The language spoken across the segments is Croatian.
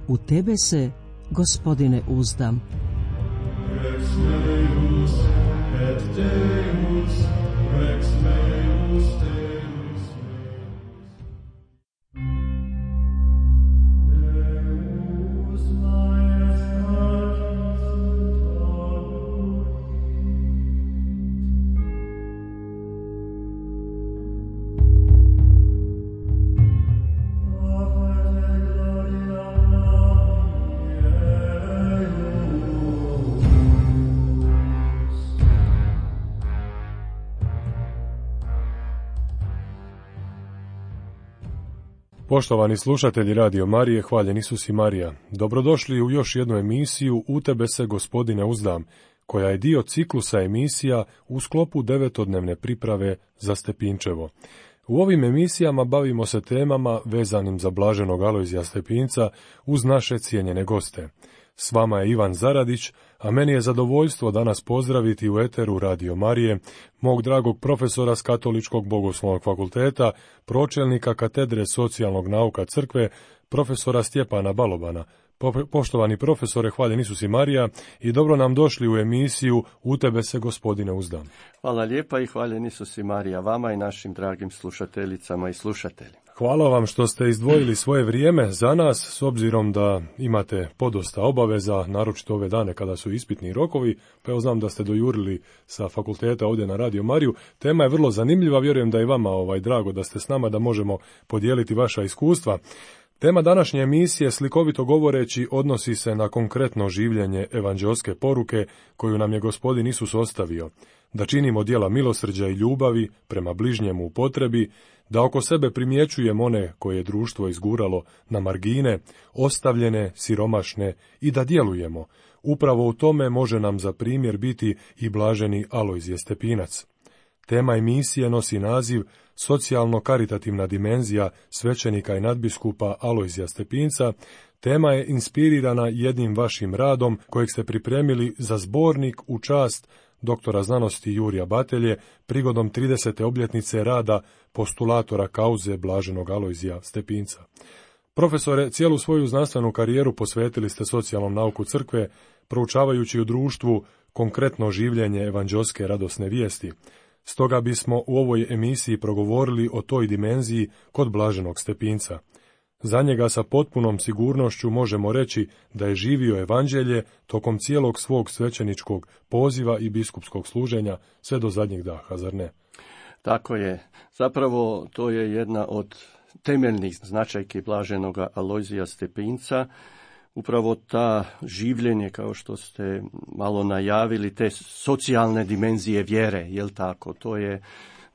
U tebe se, Gospodine, uzdam. Rex meus et Deus, Rex meus Deus meus. Deus Poštovani slušatelji Radio Marije, hvaljen Isus i Marija, dobrodošli u još jednu emisiju U tebe se, Gospodine, uzdam, koja je dio ciklusa emisija u sklopu 9-dnevne priprave za Stepinčevo. U ovim emisijama bavimo se temama vezanim za blaženog Alojzija Stepinca uz naše cijenjene goste. S vama je Ivan Zaradić, a meni je zadovoljstvo danas pozdraviti u eteru Radio Marije mog dragog profesora s Katoličkog bogoslovnog fakulteta, pročelnika katedre socijalnog nauka crkve, profesora Stjepana Balobana. Poštovani profesore, hvaljen Isus i Marija i dobro nam došli u emisiju U tebe se, Gospodine, uzdam. Hvala lijepa i hvaljen Isus i Marija vama i našim dragim slušateljicama i slušateljima. Hvala vam što ste izdvojili svoje vrijeme za nas, s obzirom da imate podosta obaveza, naročito ove dane kada su ispitni rokovi, pa evo znam da ste dojurili sa fakulteta ovdje na Radio Mariju. Tema je vrlo zanimljiva, vjerujem da je vama drago da ste s nama, da možemo podijeliti vaša iskustva. Tema današnje emisije, slikovito govoreći, odnosi se na konkretno življenje evanđeoske poruke koju nam je Gospodin Isus ostavio, da činimo djela milosrđa i ljubavi prema bližnjemu u potrebi, da oko sebe primjećujemo one koje je društvo izguralo na margine, ostavljene, siromašne i da djelujemo. Upravo u tome može nam za primjer biti i blaženi Alojzije Stepinac. Tema emisije nosi naziv Socijalno-karitativna dimenzija svećenika i nadbiskupa Alojzija Stepinca. Tema je inspirirana jednim vašim radom kojeg ste pripremili za zbornik u čast doktora znanosti Jurija Batelje prigodom 30. obljetnice rada postulatora kauze blaženog Alojzija Stepinca. Profesore, cijelu svoju znanstvenu karijeru posvetili ste socijalnom nauku crkve, proučavajući u društvu konkretno življenje evanđeoske radosne vijesti. Stoga bismo u ovoj emisiji progovorili o toj dimenziji kod blaženog Stepinca. Za njega sa potpunom sigurnošću možemo reći da je živio evanđelje tokom cijelog svog svećeničkog poziva i biskupskog služenja sve do zadnjeg daha, zar ne? Tako je. Zapravo to je jedna od temeljnih značajki blaženoga Alojzija Stepinca. Upravo ta življenje, kao što ste malo najavili, te socijalne dimenzije vjere, jel tako? To je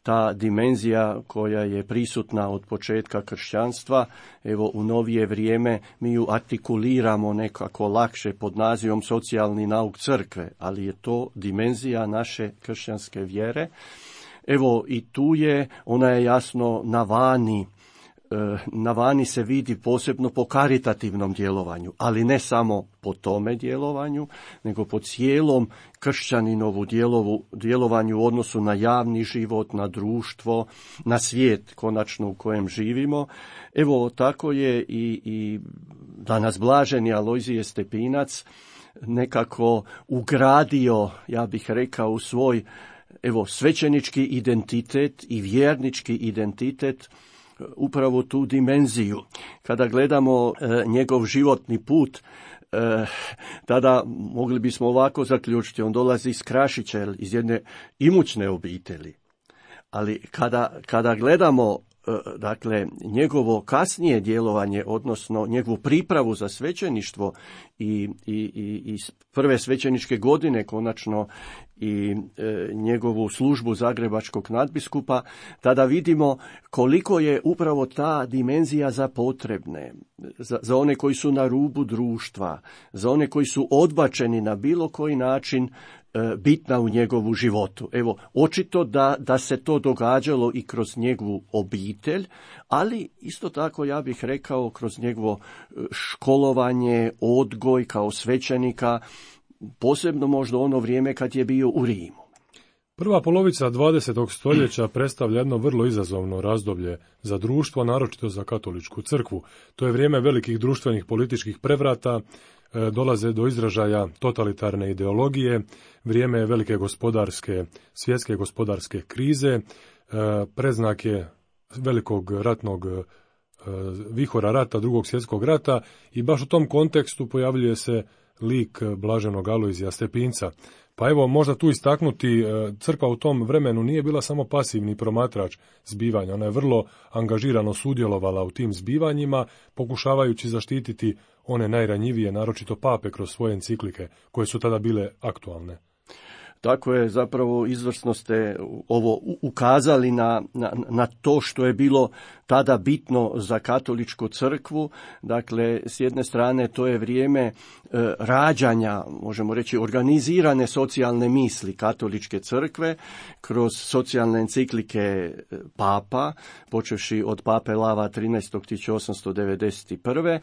ta dimenzija koja je prisutna od početka kršćanstva. Evo, u novije vrijeme mi ju artikuliramo nekako lakše pod nazivom socijalni nauk crkve, ali je to dimenzija naše kršćanske vjere. Evo, i tu je, ona je jasno na vani se vidi posebno po karitativnom djelovanju, ali ne samo po tome djelovanju, nego po cijelom kršćaninovu djelovanju u odnosu na javni život, na društvo, na svijet konačno u kojem živimo. Evo, tako je i danas blaženi Alojzije Stepinac nekako ugradio, ja bih rekao, u svoj svećenički identitet i vjernički identitet upravo tu dimenziju. Kada gledamo njegov životni put, tada mogli bismo ovako zaključiti, on dolazi iz Krašića, iz jedne imućne obitelji. Ali kada gledamo dakle njegovo kasnije djelovanje, odnosno njegovu pripravu za svećeništvo i prve svećeničke godine konačno i njegovu službu zagrebačkog nadbiskupa, tada vidimo koliko je upravo ta dimenzija za potrebne, za one koji su na rubu društva, za one koji su odbačeni na bilo koji način, bitna u njegovu životu. Evo, očito da se to događalo i kroz njegovu obitelj, ali isto tako ja bih rekao kroz njegovo školovanje, odgoj kao svećenika, posebno možda ono vrijeme kad je bio u Rimu. Prva polovica 20. stoljeća predstavlja jedno vrlo izazovno razdoblje za društvo, naročito za katoličku crkvu. To je vrijeme velikih društvenih političkih prevrata, dolaze do izražaja totalitarne ideologije, vrijeme velike svjetske gospodarske krize, predznak je velikog ratnog vihora rata, drugog svjetskog rata, i baš u tom kontekstu pojavljuje se lik blaženog Alojzija Stepinca. Pa evo, možda tu istaknuti, crkva u tom vremenu nije bila samo pasivni promatrač zbivanja, ona je vrlo angažirano sudjelovala u tim zbivanjima, pokušavajući zaštititi one najranjivije, naročito pape, kroz svoje enciklike, koje su tada bile aktualne. Tako je, zapravo izvrsno ste ovo ukazali na to što je bilo tada bitno za katoličku crkvu. Dakle, s jedne strane to je vrijeme rađanja, možemo reći, organizirane socijalne misli katoličke crkve kroz socijalne enciklike papa, počevši od pape Lava 13.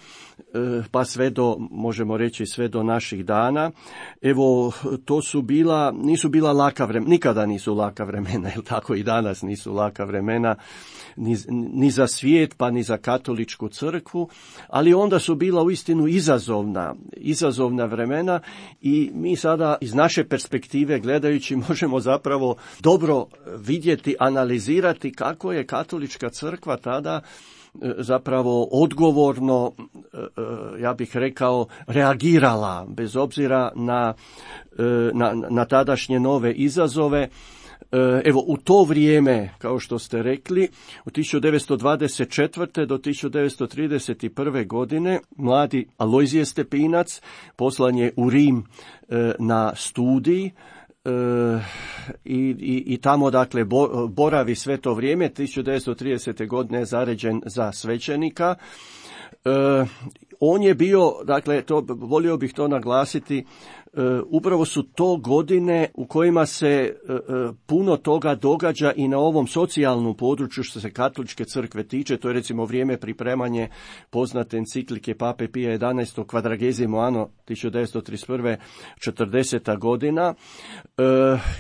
1891. Pa sve do, možemo reći, sve do naših dana. Evo, to su nisu bila laka vremena, nikada nisu laka vremena, jer tako i danas nisu laka vremena, ni za svijet, pa ni za katoličku crkvu, ali onda su bila uistinu izazovna vremena, i mi sada iz naše perspektive gledajući možemo zapravo dobro vidjeti, analizirati kako je katolička crkva tada zapravo odgovorno, ja bih rekao, reagirala bez obzira na tadašnje nove izazove. Evo, u to vrijeme, kao što ste rekli, od 1924. do 1931. godine mladi Alojzije Stepinac poslan je u Rim na studij, i tamo, dakle, boravi sve to vrijeme. 1930. godine je zaređen za svećenika. On je bio, dakle, volio bih to naglasiti, upravo su to godine u kojima se puno toga događa i na ovom socijalnom području što se katoličke crkve tiče. To je recimo vrijeme pripremanje poznate enciklike Pape Pija XI Quadragesimo Anno 1931. 40. godina.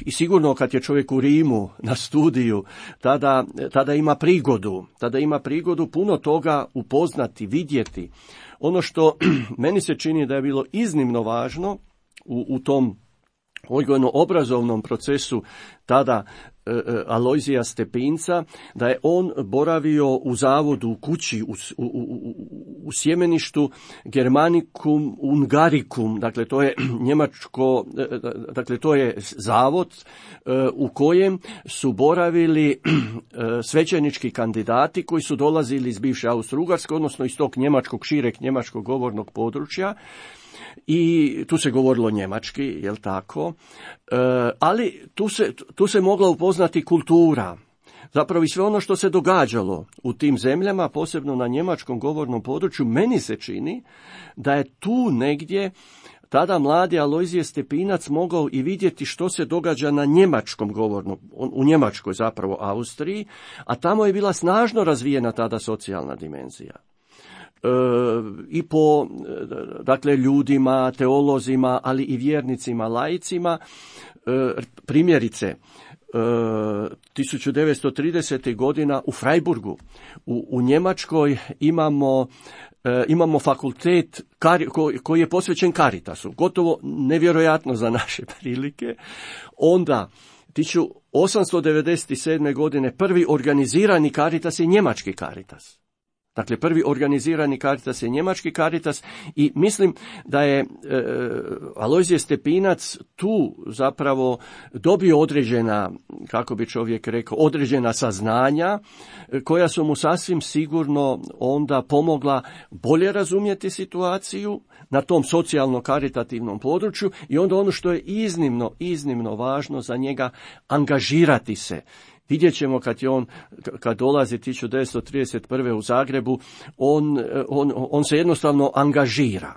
I sigurno kad je čovjek u Rimu na studiju, tada ima prigodu puno toga upoznati, vidjeti. Ono što meni se čini da je bilo iznimno važno u tom odgojno-obrazovnom procesu tada Alojzija Stepinca, da je on boravio u zavodu, u kući, u sjemeništu Germanicum Ungaricum, dakle to je njemačko, dakle to je zavod u kojem su boravili svećenički kandidati koji su dolazili iz bivše Austro-Ugarske, odnosno iz tog šireg njemačkog govornog područja. I tu se govorilo njemački, jel tako? Ali tu se mogla upoznati kultura. Zapravo i sve ono što se događalo u tim zemljama, posebno na njemačkom govornom području, meni se čini da je tu negdje tada mladi Alojzije Stepinac mogao i vidjeti što se događa na njemačkom govornom, u Njemačkoj zapravo Austriji, a tamo je bila snažno razvijena tada socijalna dimenzija. I po, dakle, ljudima, teolozima, ali i vjernicima, laicima. Primjerice, 1930. godina u Freiburgu, u Njemačkoj imamo fakultet koji je posvećen Caritasu, gotovo nevjerojatno za naše prilike. Onda 1897. godine prvi organizirani Caritas je njemački Caritas. Dakle, prvi organizirani Caritas je njemački Caritas, i mislim da je Alojzije Stepinac tu zapravo dobio određena, kako bi čovjek rekao, određena saznanja koja su mu sasvim sigurno onda pomogla bolje razumjeti situaciju na tom socijalno-karitativnom području, i onda ono što je iznimno važno za njega, angažirati se. Vidjet ćemo kad dolazi 1931. u Zagrebu, on se jednostavno angažira.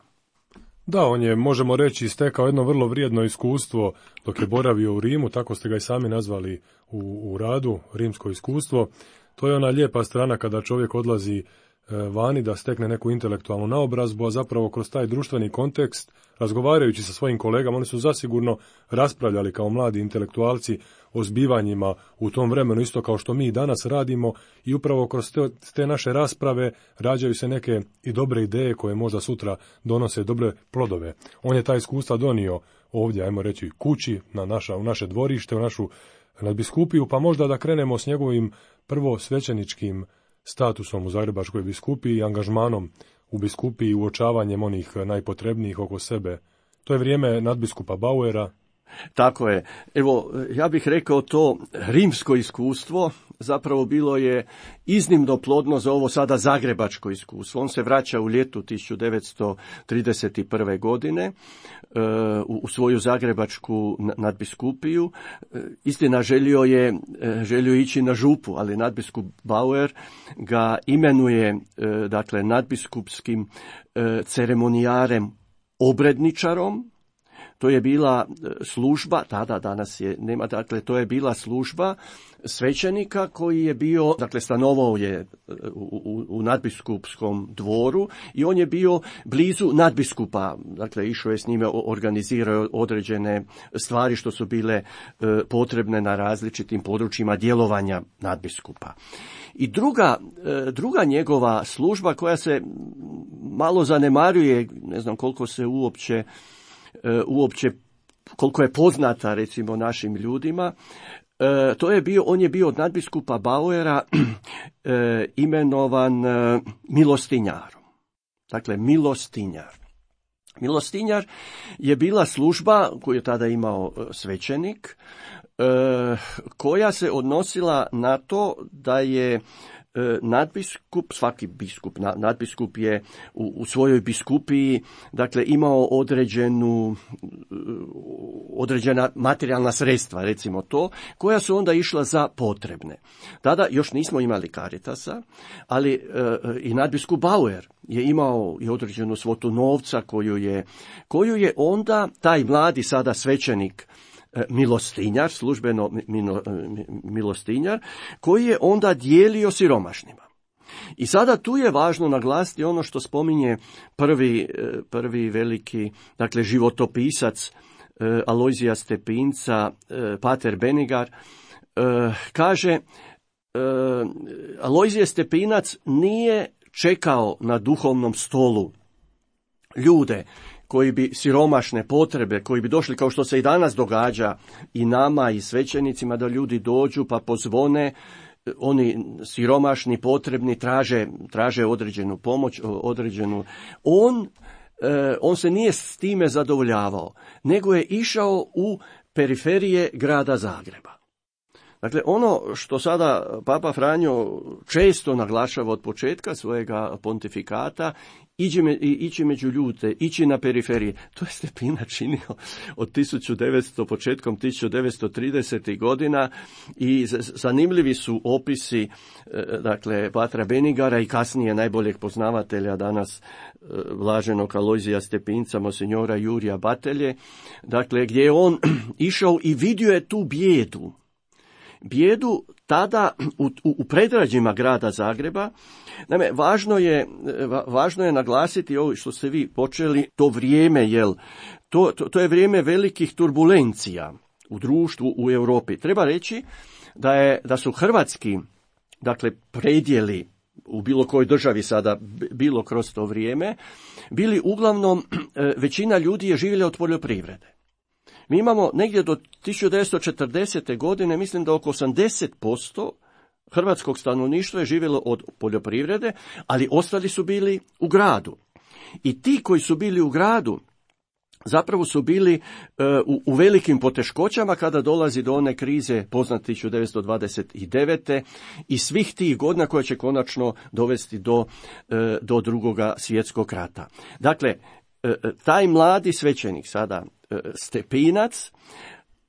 Da, on je, možemo reći, stekao jedno vrlo vrijedno iskustvo dok je boravio u Rimu, tako ste ga i sami nazvali u radu, rimsko iskustvo. To je ona lijepa strana kada čovjek odlazi vani da stekne neku intelektualnu naobrazbu, a zapravo kroz taj društveni kontekst, razgovarajući sa svojim kolegama, oni su zasigurno raspravljali kao mladi intelektualci o zbivanjima u tom vremenu, isto kao što mi danas radimo, i upravo kroz te naše rasprave rađaju se neke i dobre ideje koje možda sutra donose dobre plodove. On je ta iskustva donio ovdje, ajmo reći, kući, u naše dvorište, u našu nadbiskupiju, pa možda da krenemo s njegovim prvo svećeničkim statusom u Zagrebačkoj biskupiji i angažmanom u biskupiji i uočavanjem onih najpotrebnijih oko sebe. To je vrijeme nadbiskupa Bauera. Tako je. Evo, ja bih rekao to rimsko iskustvo zapravo bilo je iznimno plodno za ovo sada zagrebačko iskustvo. On se vraća u ljetu 1931. godine u svoju zagrebačku nadbiskupiju. Istina, želio je ići na župu, ali nadbiskup Bauer ga imenuje dakle nadbiskupskim ceremonijarem obredničarom. To je bila služba, danas je nema, dakle to je bila služba svećenika koji je bio, dakle stanovao je u nadbiskupskom dvoru i on je bio blizu nadbiskupa, dakle išao je s njime, organizirao određene stvari što su bile potrebne na različitim područjima djelovanja nadbiskupa. I druga njegova služba koja se malo zanemaruje, ne znam koliko se uopće koliko je poznata recimo našim ljudima, on je bio od nadbiskupa Bauera imenovan milostinjarom. Dakle, milostinjar. Milostinjar je bila služba koju je tada imao svećenik, koja se odnosila na to da je nadbiskup, svaki biskup, nadbiskup je u svojoj biskupiji, dakle, imao određena materijalna sredstva, recimo to, koja su onda išla za potrebne. Tada još nismo imali Caritasa, ali i nadbiskup Bauer je imao i određenu svotu novca koju je onda taj mladi sada svećenik milostinjar, službeno milostinjar, koji je onda dijelio siromašnima. I sada tu je važno naglasiti ono što spominje prvi veliki, dakle, životopisac Alojzija Stepinca, pater Benigar, kaže, Alojzije Stepinac nije čekao na duhovnom stolu ljude koji bi siromašne potrebe, koji bi došli, kao što se i danas događa i nama i svećenicima, da ljudi dođu pa pozvone, oni siromašni, potrebni, traže određenu pomoć, on se nije s time zadovoljavao, nego je išao u periferije grada Zagreba. Dakle, ono što sada Papa Franjo često naglašava od početka svojega pontifikata, ići među ljude, ići na periferije. To je Stepinac činio od početkom 1930. godina i zanimljivi su opisi, dakle, patra Benigara i kasnije najboljeg poznavatelja danas blaženog Alojzija Stepinca, monsinjora Jurija Batelje, dakle, gdje je on išao i vidio je tu bijedu tada u predgrađima grada Zagreba. Naime, važno je naglasiti ovo što ste vi počeli, to vrijeme, to je vrijeme velikih turbulencija u društvu, u Europi. Treba reći da su hrvatski, dakle, predjeli u bilo kojoj državi sada bilo kroz to vrijeme, bili uglavnom, većina ljudi je živjela od poljoprivrede. Mi imamo negdje do 1940. godine, mislim da oko 80% hrvatskog stanovništva je živjelo od poljoprivrede, ali ostali su bili u gradu. I ti koji su bili u gradu zapravo su bili u velikim poteškoćama kada dolazi do one krize poznate 1929. i svih tih godina koje će konačno dovesti do Drugoga svjetskog rata. Dakle, taj mladi svećenik sada Stepinac,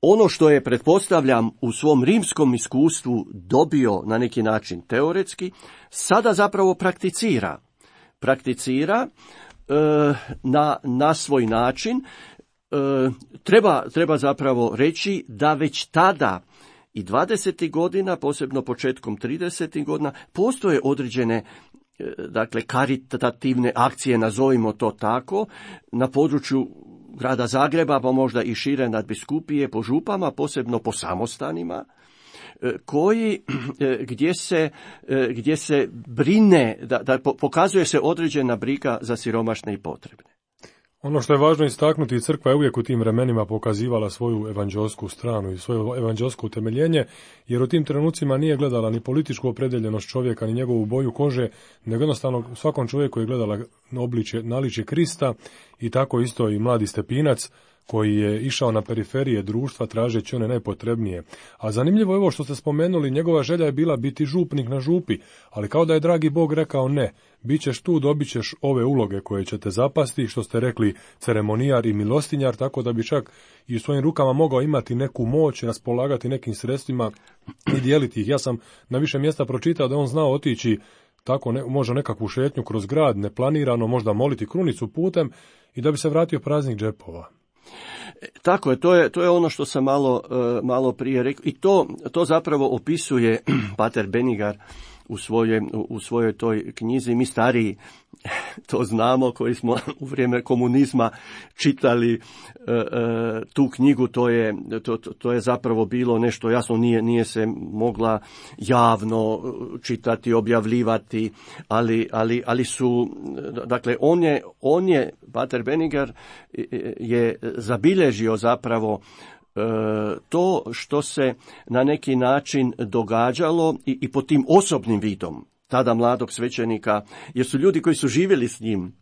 ono što je, pretpostavljam, u svom rimskom iskustvu dobio na neki način teoretski, sada zapravo prakticira na svoj način. Treba zapravo reći da već tada i 20. godina, posebno početkom 30. godina, postoje određene dakle karitativne akcije, nazovimo to tako, na području grada Zagreba, pa možda i šire nadbiskupije, po župama, posebno po samostanima, gdje se brine, da pokazuje se određena briga za siromašne i potrebne. Ono što je važno istaknuti, crkva je uvijek u tim vremenima pokazivala svoju evanđelsku stranu i svoje evanđelsko utemeljenje, jer u tim trenucima nije gledala ni političku opredeljenost čovjeka, ni njegovu boju kože, nego jednostavno svakom čovjeku je gledala naličje Krista, i tako isto i mladi Stepinac, koji je išao na periferije društva tražeći one najpotrebnije. A zanimljivo je ovo što ste spomenuli, njegova želja je bila biti župnik na župi, ali kao da je dragi Bog rekao ne, bit ćeš tu, dobit ćeš ove uloge koje će te zapasti, što ste rekli, ceremonijar i milostinjar, tako da bi čak i u svojim rukama mogao imati neku moć, raspolagati nekim sredstvima i dijeliti ih. Ja sam na više mjesta pročitao da on znao otići tako možda nekakvu šetnju kroz grad, neplanirano, možda moliti krunicu putem i da bi se vratio praznih džepova. Tako je, to je ono što sam malo prije rekao, i to zapravo opisuje pater Benigar u svojoj toj knjizi. Mi stariji to znamo, koji smo u vrijeme komunizma čitali tu knjigu, to je zapravo bilo nešto jasno, nije se mogla javno čitati, objavljivati, ali su, dakle, on je, pater Benigar je zabilježio zapravo to što se na neki način događalo i pod tim osobnim vidom tada mladog svećenika, jer su ljudi koji su živjeli s njim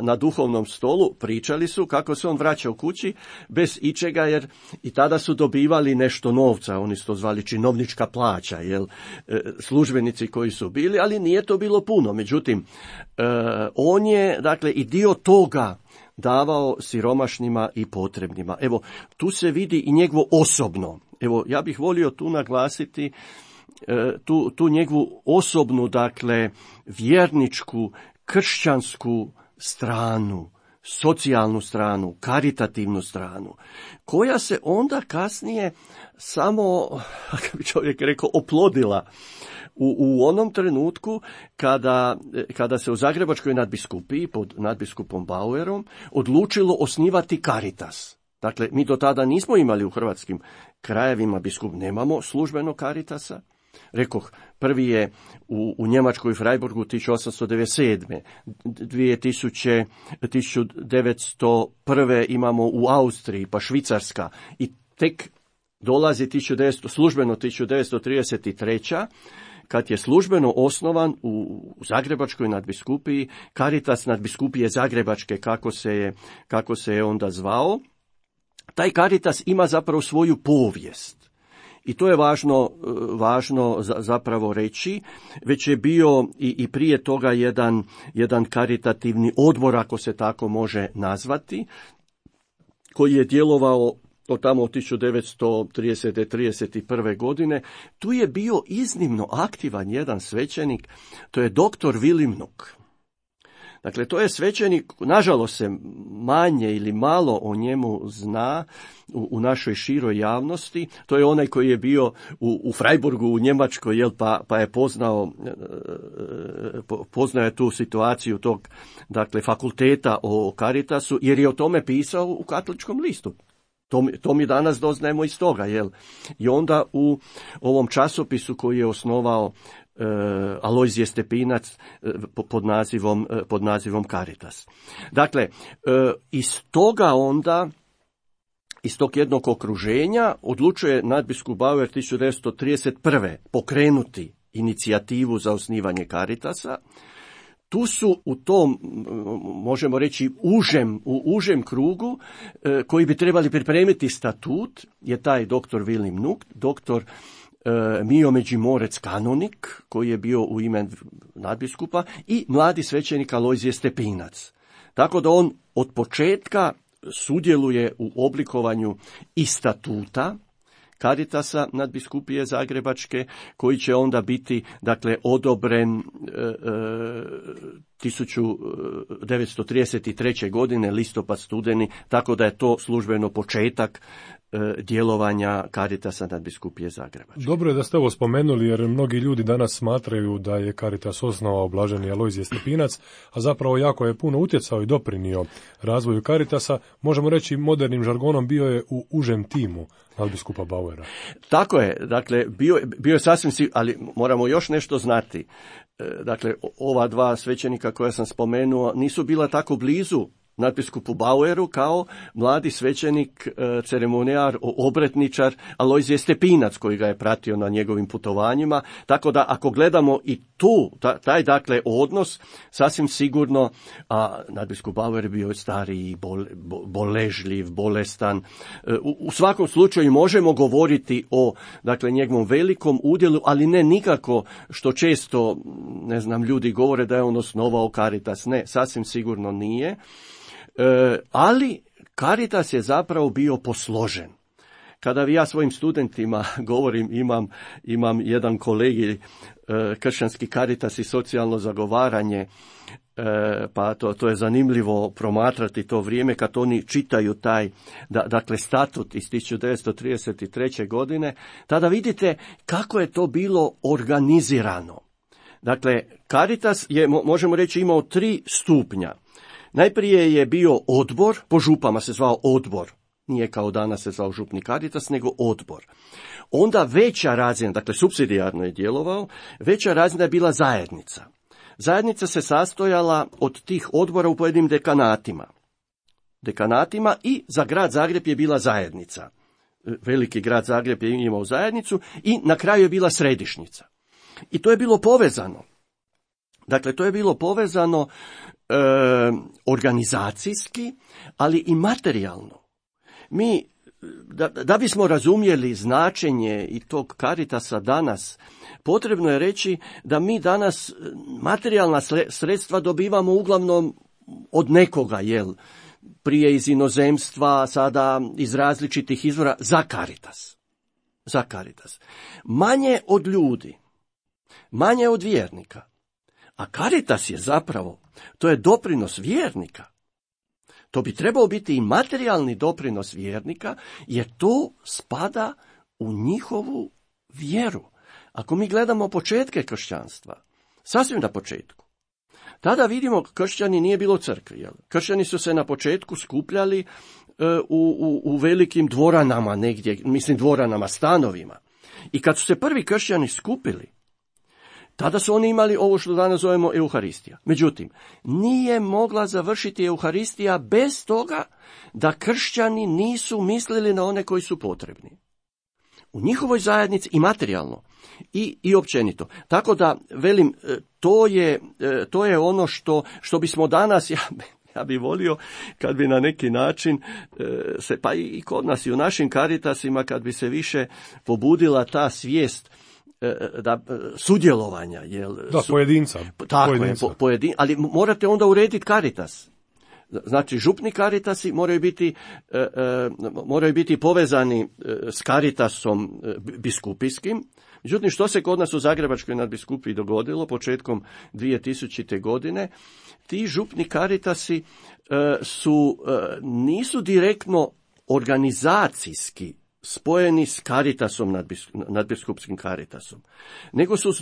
na duhovnom stolu, pričali su kako se on vraća u kući bez ičega, jer i tada su dobivali nešto novca, oni su to zvali činovnička plaća, službenici koji su bili, ali nije to bilo puno. Međutim, on je, dakle, i dio toga davao siromašnima i potrebnima. Evo, tu se vidi i njegovo osobno. Evo, ja bih volio tu naglasiti tu njegovu osobnu, dakle, vjerničku, kršćansku stranu, socijalnu stranu, karitativnu stranu, koja se onda kasnije samo, kako bi čovjek rekao, oplodila u onom trenutku kada se u Zagrebačkoj nadbiskupiji pod nadbiskupom Bauerom odlučilo osnivati Caritas. Dakle, mi do tada nismo imali u hrvatskim krajevima nemamo službeno Caritasa. Rekoh, prvi je u Njemačkoj i Freiburgu 1897. 1901. imamo u Austriji, pa Švicarska, i tek dolazi službeno 1933. kad je službeno osnovan u Zagrebačkoj nadbiskupiji Caritas nadbiskupije Zagrebačke, kako se je onda zvao. Taj Caritas ima zapravo svoju povijest. I to je važno zapravo reći. Već je bio i prije toga jedan karitativni odbor, ako se tako može nazvati, koji je djelovao od tamo od 1930-31. godine. Tu je bio iznimno aktivan jedan svećenik, to je doktor Willi Mnuck. Dakle, to je svećenik, nažalost se manje ili malo o njemu zna u našoj široj javnosti. To je onaj koji je bio u Freiburgu u Njemačkoj, pa je poznao je tu situaciju tog, dakle, fakulteta o Caritasu, jer je o tome pisao u Katoličkom listu. To mi danas doznajemo iz toga, I onda u ovom časopisu koji je osnovao Alojzije Stepinac pod nazivom Caritas. Dakle, iz tog jednog okruženja odlučuje nadbiskup Bauer 1931. pokrenuti inicijativu za osnivanje Caritasa. Tu su u tom, možemo reći, u užem krugu koji bi trebali pripremiti statut je taj doktor Willi Mnuck, doktor Mio Međimorec kanonik, koji je bio u ime nadbiskupa, i mladi svećenik Alojzije Stepinac. Tako da on od početka sudjeluje u oblikovanju i statuta Caritasa nadbiskupije Zagrebačke, koji će onda biti dakle odobren 1933. godine, listopad, studeni, tako da je to službeno početak djelovanja Caritasa nadbiskupije Zagrebačke. Dobro je da ste ovo spomenuli, jer mnogi ljudi danas smatraju da je Caritas osnovao blaženi Alojzije Stepinac, a zapravo jako je puno utjecao i doprinio razvoju Caritasa. Možemo reći modernim žargonom, bio je u užem timu nadbiskupa Bauera. Tako je, dakle, bio je sasvim ali moramo još nešto znati. Dakle, ova dva svećenika koja sam spomenuo nisu bila tako blizu nadbiskupu Baueru kao mladi svećenik, ceremonijar, obretničar Alojzije Stepinac, koji ga je pratio na njegovim putovanjima. Tako da ako gledamo i tu, taj dakle odnos, sasvim sigurno, a nadbiskup Bauer je bio stariji, boležljiv, bolestan. U svakom slučaju možemo govoriti o dakle njegovom velikom udjelu, ali ne nikako što često, ne znam, ljudi govore da je on osnovao Caritas. Ne, sasvim sigurno nije. Ali Caritas je zapravo bio posložen. Kada ja svojim studentima govorim, imam jedan kolegij, kršćanski Caritas i socijalno zagovaranje, pa to je zanimljivo promatrati to vrijeme kad oni čitaju taj, dakle, statut iz 1933. godine, tada vidite kako je to bilo organizirano. Dakle, Caritas je, možemo reći, imao 3 stupnja. Najprije je bio odbor, po župama se zvao odbor, nije kao danas se zvao župni Caritas, nego odbor. Onda veća razina, dakle supsidijarno je djelovao, veća razina je bila zajednica. Zajednica se sastojala od tih odbora u pojedinim dekanatima i za grad Zagreb je bila zajednica. Veliki grad Zagreb je imao zajednicu i na kraju je bila središnjica. I to je bilo povezano. Dakle, to je bilo povezano organizacijski, ali i materijalno. Mi, da bismo razumjeli značenje i tog Caritasa danas, potrebno je reći da mi danas materijalna sredstva dobivamo uglavnom od nekoga, prije iz inozemstva, sada iz različitih izvora, za Caritas. Manje od ljudi, manje od vjernika. A Caritas je zapravo, to je doprinos vjernika. To bi trebao biti i materijalni doprinos vjernika, jer to spada u njihovu vjeru. Ako mi gledamo početke kršćanstva, sasvim na početku, tada vidimo kršćani nije bilo crkve. Kršćani su se na početku skupljali u velikim dvoranama negdje, dvoranama, stanovima. I kad su se prvi kršćani skupili, tada su oni imali ovo što danas zovemo Euharistija. Međutim, nije mogla završiti Euharistija bez toga da kršćani nisu mislili na one koji su potrebni. U njihovoj zajednici i materijalno i općenito. Tako da, velim, to je ono što bismo danas, ja bih volio kad bi na neki način se, pa i kod nas i u našim Caritasima, kad bi se više pobudila ta svijest sudjelovanja. Pojedinca. Tako pojedinca. Ali morate onda urediti Caritas. Znači, župni Caritasi moraju biti povezani s Caritasom biskupijskim. Međutim, što se kod nas u Zagrebačkoj nadbiskupiji dogodilo početkom 2000. godine, ti župni Caritasi nisu direktno organizacijski spojeni s Caritasom, nadbiskupskim Caritasom, nego su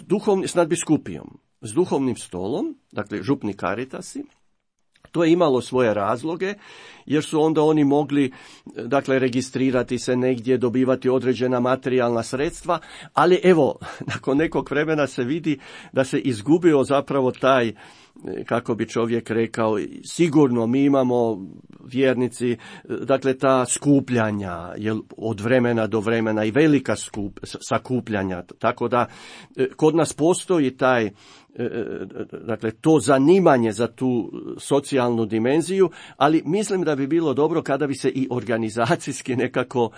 s nadbiskupijom, s duhovnim stolom, dakle župni Caritasi. To je imalo svoje razloge, jer su onda oni mogli, dakle, registrirati se negdje, dobivati određena materijalna sredstva, ali evo, nakon nekog vremena se vidi da se izgubio zapravo taj, kako bi čovjek rekao, sigurno mi imamo vjernici, dakle ta skupljanja, od vremena do vremena i velika sakupljanja, tako da kod nas postoji taj, dakle, to zanimanje za tu socijalnu dimenziju, ali mislim da bi bilo dobro kada bi se i organizacijski nekako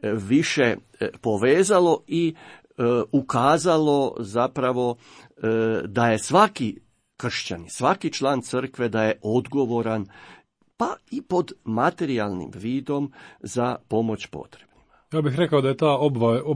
više povezalo i ukazalo zapravo da je svaki kršćanin, svaki član crkve da je odgovoran, pa i pod materijalnim vidom, za pomoć potrebnima. Ja bih rekao da je ta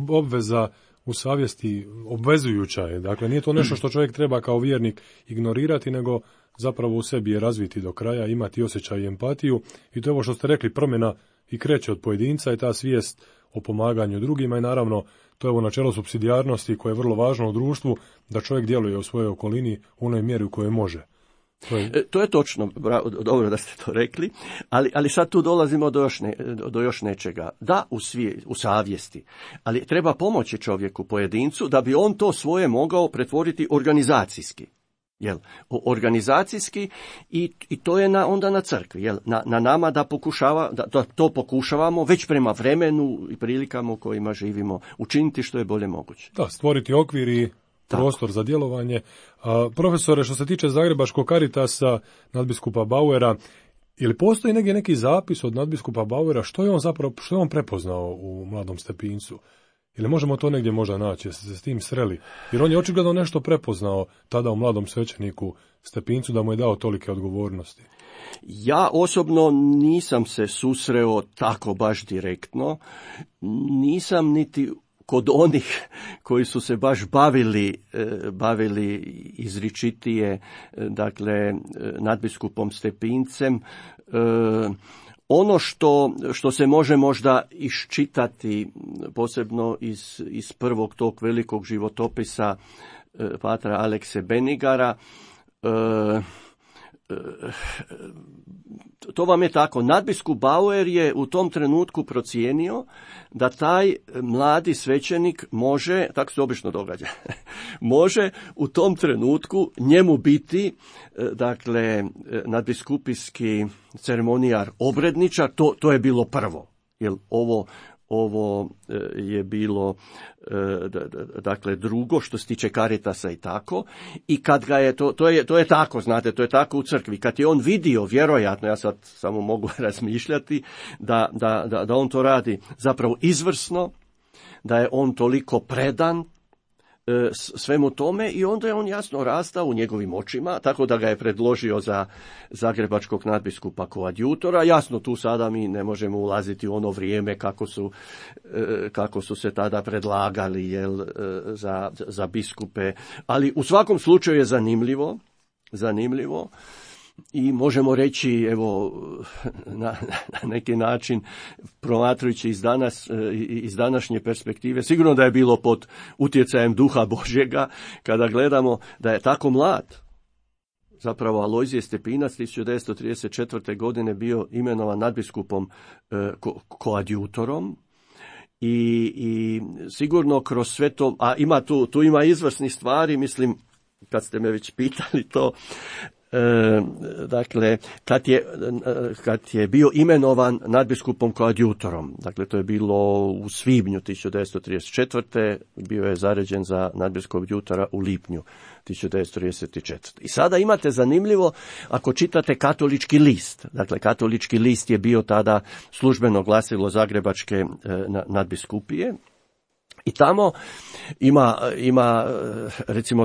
obveza u savjesti obvezujuća je. Dakle, nije to nešto što čovjek treba kao vjernik ignorirati, nego zapravo u sebi je razviti do kraja, imati osjećaj i empatiju. I to je ovo što ste rekli, promjena i kreće od pojedinca i ta svijest o pomaganju drugima i naravno to je ovo načelo supsidijarnosti koje je vrlo važno u društvu, da čovjek djeluje u svojoj okolini u onoj mjeri u kojoj može. To je točno, dobro da ste to rekli, ali sad tu dolazimo do još nečega. Da, u savjesti, ali treba pomoći čovjeku, pojedincu, da bi on to svoje mogao pretvoriti organizacijski. Organizacijski i to je onda na crkvi, na nama da to pokušavamo već prema vremenu i prilikama u kojima živimo učiniti što je bolje moguće. Da, stvoriti okvir i prostor za djelovanje. Profesore, što se tiče Zagrebačkog Caritasa, nadbiskupa Bauera, ili postoji neki zapis od nadbiskupa Bauera što je on prepoznao u mladom Stepincu? Ili možemo to negdje možda naći, jeste se s tim sreli? Jer on je očigledno nešto prepoznao tada u mladom svećeniku Stepincu da mu je dao tolike odgovornosti. Ja osobno nisam se susreo tako baš direktno, nisam niti kod onih koji su se baš bavili izričitije, dakle, nadbiskupom Stepincem. Ono što se može možda iščitati, posebno iz prvog tog velikog životopisa patra Alekse Benigara, to vam je tako. Nadbiskup Bauer je u tom trenutku procijenio da taj mladi svećenik može, tako se obično događa, može u tom trenutku njemu biti, dakle, nadbiskupijski ceremonijar obredničar, to je bilo prvo, jer ovo je bilo, dakle, drugo što se tiče Caritasa i tako. I kad ga je, to je tako, znate, to je tako u crkvi. Kad je on vidio, vjerojatno, ja sad samo mogu razmišljati, da on to radi zapravo izvrsno, da je on toliko predan svemu tome i onda je on jasno rastao u njegovim očima, tako da ga je predložio za zagrebačkog nadbiskupa koadjutora. Jasno, tu sada mi ne možemo ulaziti u ono vrijeme kako su se tada predlagali za biskupe, ali u svakom slučaju je zanimljivo. I možemo reći, evo, na neki način, promatrajući iz današnje perspektive, sigurno da je bilo pod utjecajem Duha Božjega, kada gledamo da je tako mlad. Zapravo Alojzije Stepinac 1934. godine bio imenovan nadbiskupom koadjutorom i sigurno kroz sve to, a tu ima izvrsnih stvari, mislim, kad ste me već pitali to, dakle, kad je bio imenovan nadbiskupom koadjutorom, dakle, to je bilo u svibnju 1934. bio je zaređen za nadbiskupog koadjutora u lipnju 1934. I sada imate zanimljivo, ako čitate Katolički list, dakle, Katolički list je bio tada službeno glasilo Zagrebačke nadbiskupije, i tamo ima, recimo,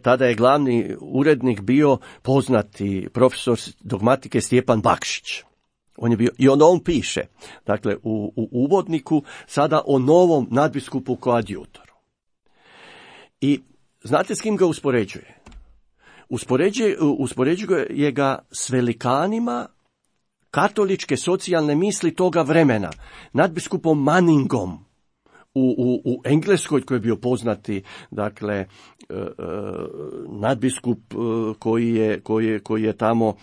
tada je glavni urednik bio poznati profesor dogmatike Stjepan Bakšić. On je bio, i on piše, dakle, u uvodniku sada o novom nadbiskupu koadjutoru. I znate s kim ga uspoređuje? Uspoređuje ga s velikanima katoličke socijalne misli toga vremena, nadbiskupom Manningom, u Engleskoj, koji je bio poznati, dakle, nadbiskup koji je tamo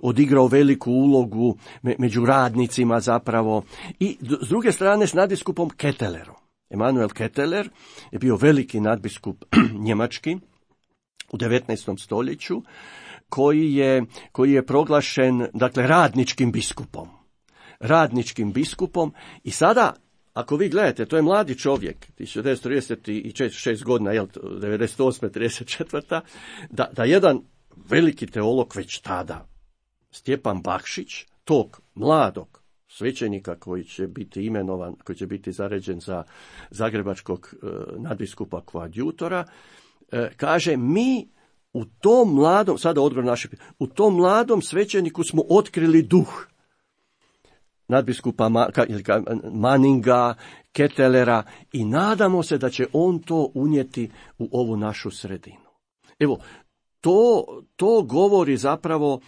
odigrao veliku ulogu među radnicima zapravo, i s druge strane s nadbiskupom Ketelerom. Emanuel Keteler je bio veliki nadbiskup njemački u 19. stoljeću, koji je proglašen, dakle, radničkim biskupom i sada, ako vi gledate, to je mladi čovjek, 1936 godina, 98. 34. Da jedan veliki teolog već tada, Stjepan Bakšić, tog mladog svećenika koji će biti imenovan, koji će biti zaređen za zagrebačkog nadbiskupa koadjutora, kaže, mi u tom mladom, sada odgovor naše, u tom mladom svećeniku smo otkrili duh. nadbiskupa Manninga, Kettelera i nadamo se da će on to unijeti u ovu našu sredinu. Evo, to govori zapravo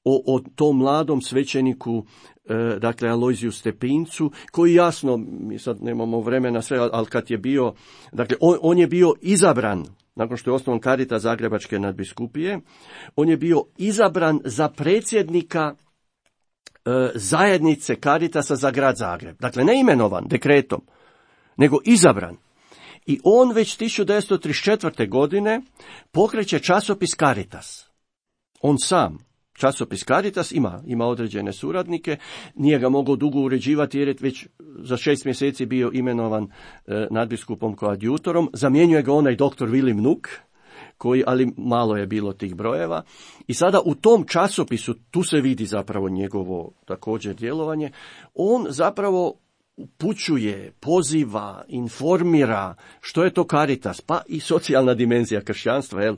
o tom mladom svećeniku, dakle Alojziju Stepincu, koji jasno, mi sad nemamo vremena sve, ali kad je bio, dakle on je bio izabran, nakon što je osnovan Caritas Zagrebačke nadbiskupije, on je bio izabran za predsjednika zajednice Caritasa za grad Zagreb. Dakle, ne imenovan dekretom, nego izabran. I on već 1934. godine pokreće časopis Caritas. On sam. Časopis Caritas ima određene suradnike, nije ga mogao dugo uređivati jer je već za 6 mjeseci bio imenovan nadbiskupom koadjutorom, zamjenjuje ga onaj doktor Vilim Nuk, ali malo je bilo tih brojeva. I sada u tom časopisu, tu se vidi zapravo njegovo također djelovanje, on zapravo upućuje, poziva, informira što je to Caritas, pa i socijalna dimenzija kršćanstva,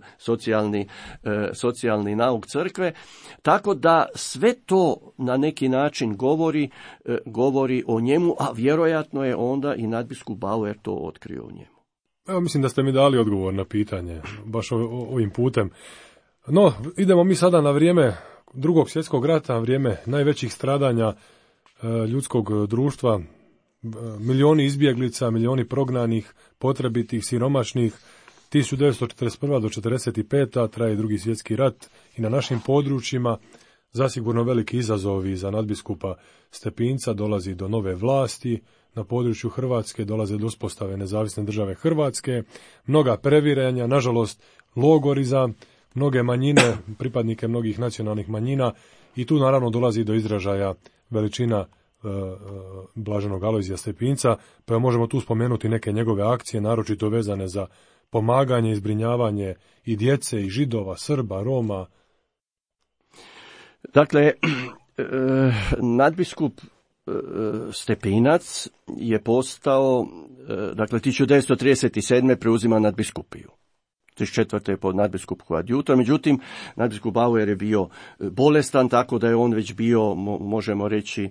socijalni nauk crkve, tako da sve to na neki način govori o njemu, a vjerojatno je onda i nadbiskup Bauer to otkrio o njemu. Evo, mislim da ste mi dali odgovor na pitanje, baš ovim putem. No, idemo mi sada na vrijeme Drugog svjetskog rata, vrijeme najvećih stradanja ljudskog društva, milijuni izbjeglica, milijuni prognanih, potrebitih, siromašnih. 1941. do 1945. traje Drugi svjetski rat i na našim područjima zasigurno veliki izazovi za nadbiskupa Stepinca, dolazi do nove vlasti, na području Hrvatske dolaze do uspostave nezavisne države Hrvatske, mnoga previranja, nažalost logori za mnoge manjine, pripadnike mnogih nacionalnih manjina i tu naravno dolazi do izražaja veličina blaženog Alojzija Stepinca, pa možemo tu spomenuti neke njegove akcije, naročito vezane za pomaganje i zbrinjavanje i djece, i Židova, Srba, Roma. Dakle, nadbiskup Stepinac je postao, dakle 1937. preuzima nadbiskupiju. 1934. je pod nadbiskup koadjutor, međutim, nadbiskup Bauer je bio bolestan, tako da je on već bio, možemo reći,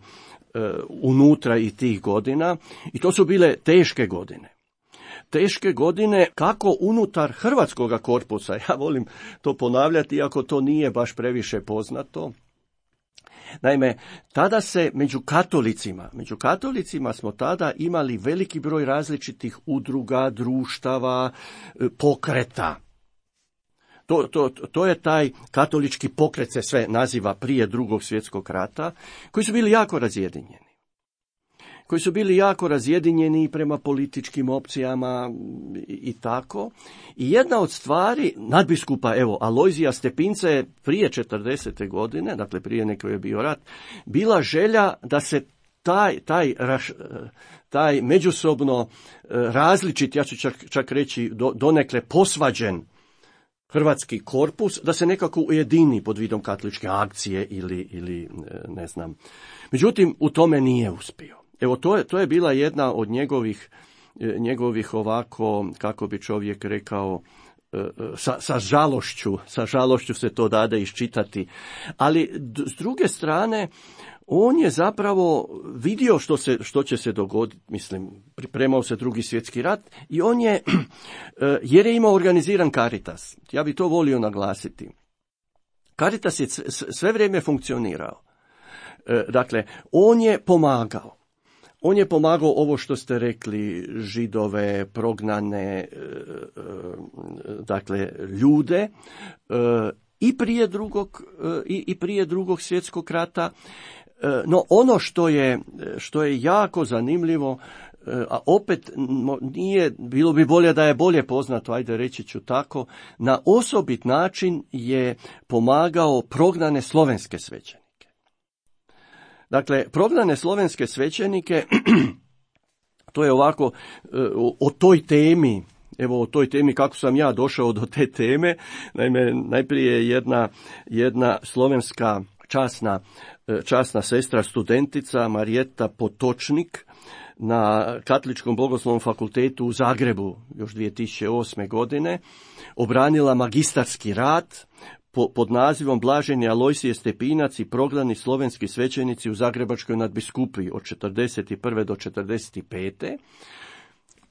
unutra i tih godina. I to su bile teške godine. Teške godine kako unutar hrvatskoga korpusa, ja volim to ponavljati, iako to nije baš previše poznato. Naime, tada se među katolicima smo tada imali veliki broj različitih udruga, društava, pokreta. To je taj katolički pokret, se sve naziva prije Drugog svjetskog rata, koji su bili jako razjedinjeni prema političkim opcijama i tako. I jedna od stvari nadbiskupa, Alojzija Stepinca je prije 40. godine, dakle prije nego je bio rat, bila želja da se taj međusobno različit, ja ću čak reći donekle posvađen hrvatski korpus, da se nekako ujedini pod vidom katoličke akcije ili ne znam. Međutim, u tome nije uspio. Evo, to je bila jedna od njegovih ovako, kako bi čovjek rekao, sa žalošću se to dade iščitati. Ali s druge strane, on je zapravo vidio što će se dogoditi, mislim, pripremao se Drugi svjetski rat i on je, jer je imao organiziran Caritas, ja bi to volio naglasiti. Caritas je sve vrijeme funkcionirao. Dakle, on je pomagao. On je pomagao ovo što ste rekli, Židove, prognane, dakle, ljude, i prije drugog svjetskog rata. No ono što je jako zanimljivo, a opet bilo bi bolje da je bolje poznato, ajde reći ću tako, na osobit način je pomagao prognane slovenske svećenike. Dakle, prognane slovenske svećenike, to je ovako, o toj temi, kako sam ja došao do te teme. Naime, najprije jedna slovenska časna sestra, studentica Marijeta Potočnik na Katoličkom bogoslovnom fakultetu u Zagrebu još 2008. godine obranila magistarski rad pod nazivom Blaženi Alojsije Stepinac i prognani slovenski svećenici u Zagrebačkoj nadbiskupiji od 41. do 45.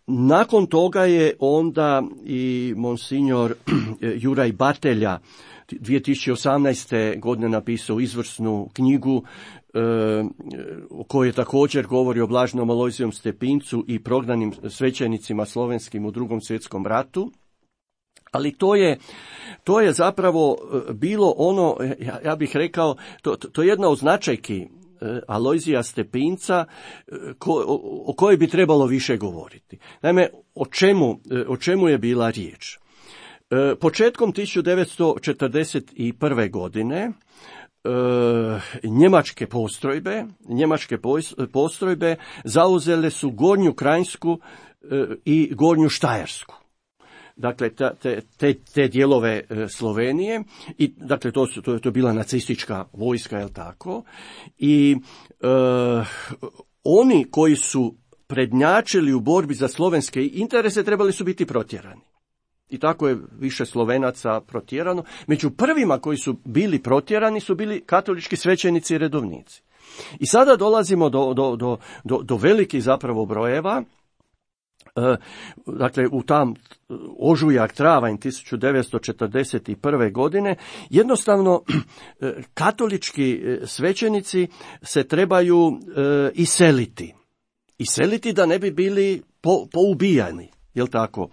Nakon toga je onda i monsignor Juraj Batelja 2018. godine napisao izvrsnu knjigu o kojoj također govori o Blaženom Alojzijem Stepincu i prognanim svećenicima slovenskim u Drugom svjetskom ratu. Ali to je zapravo bilo ono, ja bih rekao, to je jedna od značajki Alojzija Stepinca o kojoj bi trebalo više govoriti. Naime, o čemu je bila riječ? Početkom 1941. godine njemačke postrojbe zauzele su Gornju Krajinsku i Gornju Štajersku. Dakle, te dijelove Slovenije, i dakle to je bila nacistička vojska, jel tako? I oni koji su prednjačili u borbi za slovenske interese trebali su biti protjerani. I tako je više Slovenaca protjerano. Među prvima koji su bili protjerani su bili katolički svećenici i redovnici. I sada dolazimo do velikih zapravo brojeva. Dakle, u tam ožujak, travanj 1941. godine, jednostavno katolički svećenici se trebaju iseliti. Iseliti da ne bi bili poubijani, jel tako,